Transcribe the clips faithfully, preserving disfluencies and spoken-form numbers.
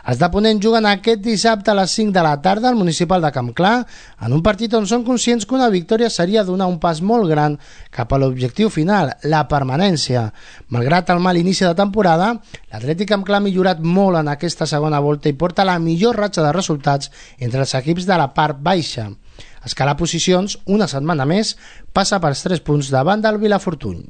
Els de Ponent juguen aquest dissabte a les cinc de la tarda al municipal de Campclar, en un partit on són conscients que una victòria seria donar un pas molt gran cap a l'objectiu final, la permanència. Malgrat el mal inici de temporada, l'Atlètic Campclar ha millorat molt en aquesta segona volta i porta la millor ratxa de resultats entre els equips de la part baixa. Escalar posicions, una setmana més, passa pels tres punts davant del Vilafortuny.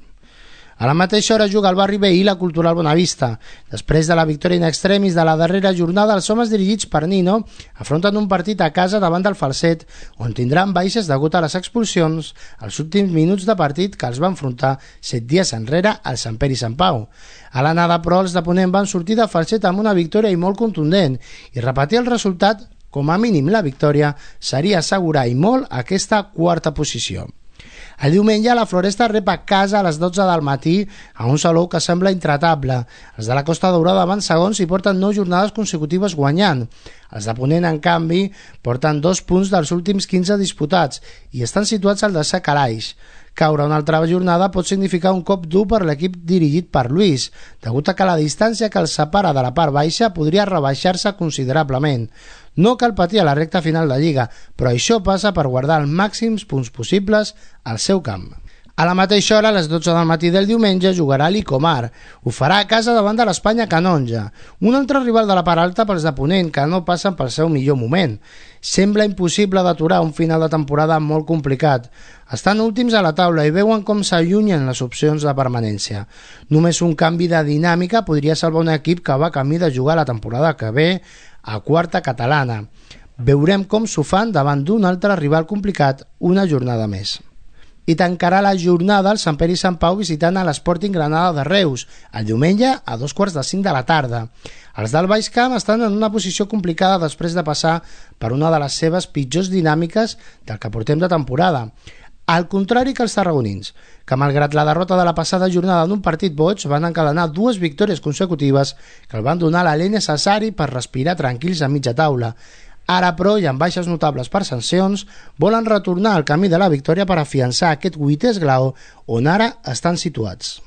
A la mateixa hora juga el barri veí la Cultural Bonavista. Després de la victòria in extremis de la darrera jornada, els homes dirigits per Nino afronten un partit a casa davant del Falset, on tindran baixes degut a les expulsions als últims minuts de partit que els va enfrontar set dies enrere al Sant Pere i Sant Pau. A l'anada, però, els de Ponent van sortir de Falset amb una victòria i molt contundent, i repetir el resultat, com a mínim la victòria, seria assegurar i molt aquesta quarta posició. El diumenge la Floresta rep a casa a les dotze del matí a un Salou que sembla intratable. Els de la Costa Daurada van segons i porten nou jornades consecutives guanyant. Els de Ponent, en canvi, porten dos punts dels últims quinze disputats i estan situats al desè calaix. Caure una altra jornada pot significar un cop dur per l'equip dirigit per Lluís, degut a que la distància que els separa de la part baixa podria rebaixar-se considerablement. No cal patir a la recta final de Lliga, però això passa per guardar els màxims punts possibles al seu camp. A la mateixa hora, a les dotze del matí del diumenge, jugarà l'Icomar. Ho farà a casa davant de l'Espanya Canonja, un altre rival de la part alta pels de Ponent, que no passen pel seu millor moment. Sembla impossible d'aturar un final de temporada molt complicat. Estan últims a la taula i veuen com s'allunyen les opcions de permanència. Només un canvi de dinàmica podria salvar un equip que va camí de jugar la temporada que ve a quarta catalana. Veurem com s'ho fan davant d'un altre rival complicat una jornada més. I tancarà la jornada el Sant Pere i Sant Pau visitant a l'Sporting Granada de Reus, el diumenge a dos quarts de cinc de la tarda. Els del Baix Camp estan en una posició complicada després de passar per una de les seves pitjors dinàmiques del que portem de temporada. Al contrari que els tarragonins, que malgrat la derrota de la passada jornada en un partit boig van encadenar dues victòries consecutives que el van donar l'alè necessari per respirar tranquils a mitja taula. Ara, però, i amb baixes notables per sancions, volen retornar al camí de la victòria per afiançar aquest vuitè esglaó on ara estan situats.